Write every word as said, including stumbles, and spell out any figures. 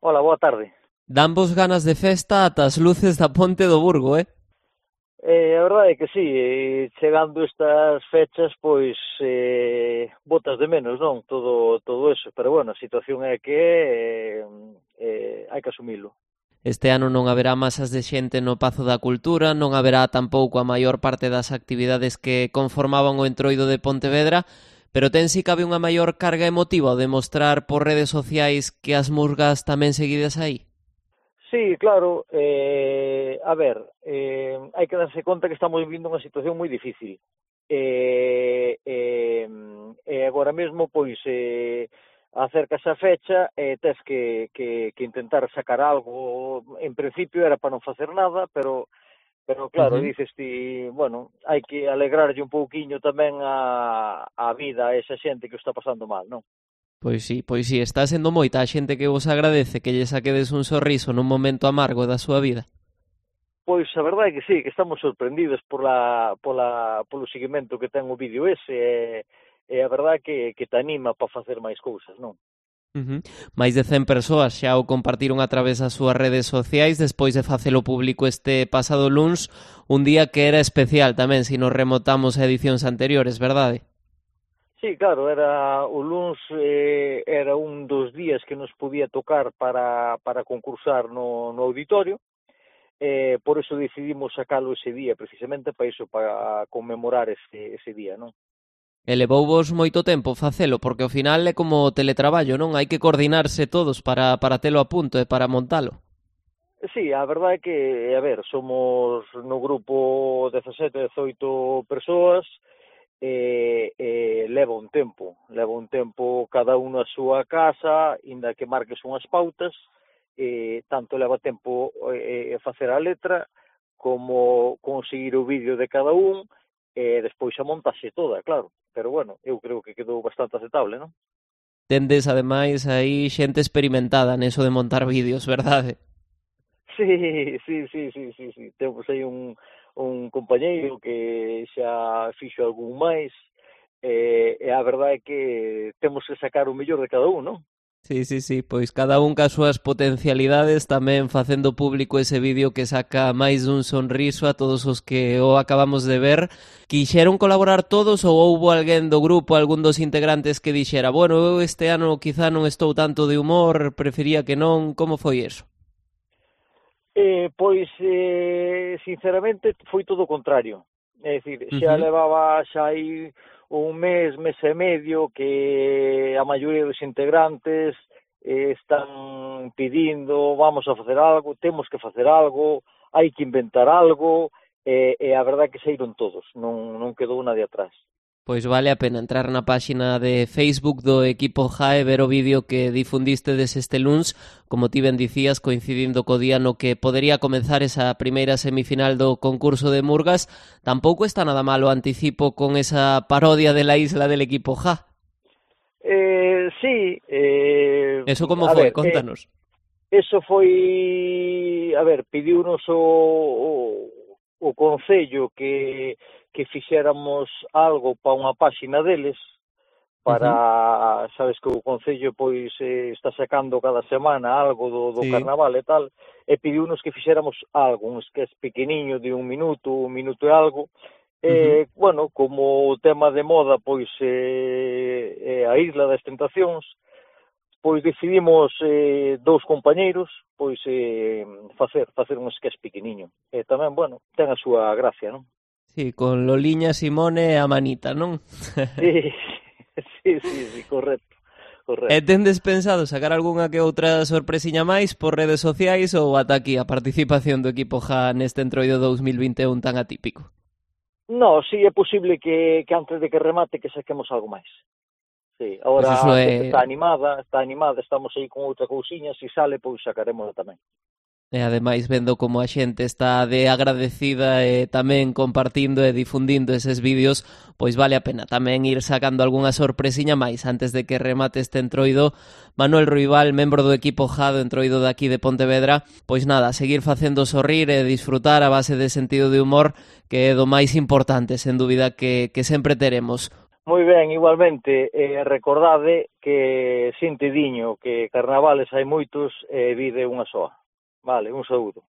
Hola, boa tarde. Dan vos ganas de festa ata as luces da Ponte do Burgo, eh? Eh, a verdade é que sí, eh, chegando estas fechas, pois eh, botas de menos, non? Todo todo eso, pero bueno, a situación é que é, eh, eh, hai que asumilo. Este ano non haberá masas de xente no Pazo da Cultura, non haberá tampouco a maior parte das actividades que conformaban o entroido de Pontevedra, pero ten si cabe unha maior carga emotiva o de mostrar por redes sociais que as murgas tamén seguidas aí. Sí, claro, eh, a ver, eh, hai que darse conta que estamos vivindo unha situación moi difícil. E, eh, eh, agora mesmo, pois, eh, acércase a fecha e tes que, que, que intentar sacar algo. En principio era para non facer nada, pero pero claro, Uh -huh. dices ti, bueno, hai que alegrarlle un pouquiño tamén a, a vida a esa xente que o está pasando mal, non? Pois sí, pois sí, está sendo moita a xente que vos agradece que lle saquedes un sorriso nun momento amargo da súa vida. Pois a verdade é que sí, que estamos sorprendidos pola, pola, polo seguimento que ten o vídeo ese, e, e a verdade que, que te anima para facer máis cousas, non? Uh -huh. Máis de cen persoas xa o compartiron a través das súas redes sociais despois de facelo público este pasado luns, un día que era especial tamén se nos remotamos a edicións anteriores, verdade? Sí, claro, era o luns eh, era un dos días que nos podía tocar para, para concursar no, no auditorio, eh, por eso decidimos sacalo ese día, precisamente para iso, para conmemorar ese, ese día, non? E levouvos moito tempo facelo, porque ao final é como teletraballo, non? Hai que coordinarse todos para, para telo a punto e para montalo. Sí, a verdade é que, a ver, somos no grupo dezasete, dezoito persoas, e, e leva un tempo, leva un tempo cada uno a súa casa, inda que marques unhas pautas, e tanto leva tempo e, e facer a letra, como conseguir o vídeo de cada un, e despois a montaxe toda, claro. Pero bueno, eu creo que quedou bastante aceptable, non? Tendes, ademais, aí xente experimentada neso de montar vídeos, verdade? Sí, sí, sí, sí, sí, sí. Temos aí un, un compañeiro que xa fixo algún máis, e, e a verdade é que temos que sacar o mellor de cada un, non? Sí, sí, sí, pois cada un cas súas potencialidades tamén facendo público ese vídeo que saca máis dun sonriso a todos os que o acabamos de ver. Quixeron colaborar todos ou houbo alguén do grupo, algún dos integrantes que dixera bueno, eu este ano quizá non estou tanto de humor, prefería que non, como foi eso? Eh, pois, eh, sinceramente, foi todo o contrario. É dicir, Uh xa -huh. levaba xa aí un mes, mes e medio que a maioría dos integrantes eh, están pedindo, vamos a facer algo, temos que facer algo, hai que inventar algo, e, e a verdade é que saíron todos, non, non quedou nadie atrás. Pois vale a pena entrar na páxina de Facebook do equipo J A e ver o vídeo que difundiste des este luns, como ti ben dicías, coincidindo co día no que podería comenzar esa primeira semifinal do concurso de Murgas. Tampouco está nada malo anticipo con esa parodia de la isla del equipo J A. Eh, sí, eh, Eso como a foi? ver, eh, Contanos. eso foi, a ver, pediunos o, o, o Concello que, que fixéramos algo para unha páxina deles, Uh -huh. para, sabes que o Concello pois eh, está sacando cada semana algo do, do Sí. carnaval e tal, e pediunos que fixéramos algo, un sketch pequeniño de un minuto, un minuto e algo, Uh -huh. e, bueno, como o tema de moda pois eh, eh, a Isla das Tentacións, pois decidimos eh, dous compañeiros pois eh, facer facer un sketch pequeniño. E tamén, bueno, ten a súa gracia, non? Sí, con Loliña, Simone e a Manita, non? Sí, sí, sí, sí, correcto, E correcto. tendes pensado sacar algunha que outra sorpresiña máis por redes sociais ou ata aquí a participación do equipo J A neste entroido dous mil vinte e un tan atípico? No, sí é posible que, que antes de que remate que saquemos algo máis. Sí, Pois agora iso a xente é... está animada, está animada, estamos aí con outra cousiña, se sale, pois sacaremos tamén. E ademais vendo como a xente está de agradecida e tamén compartindo e difundindo eses vídeos, pois vale a pena tamén ir sacando algunha sorpresiña máis antes de que remate este entroido. Manuel Ruibal, membro do equipo J A do entroido de aquí de Pontevedra, pois nada, seguir facendo sorrir e disfrutar a base de sentido de humor, que é do máis importante, sen dúbida, que, que sempre teremos. Moi ben, igualmente, eh, recordade que xente diño que carnavales hai moitos e eh, vide unha soa. Vale, un saúdo.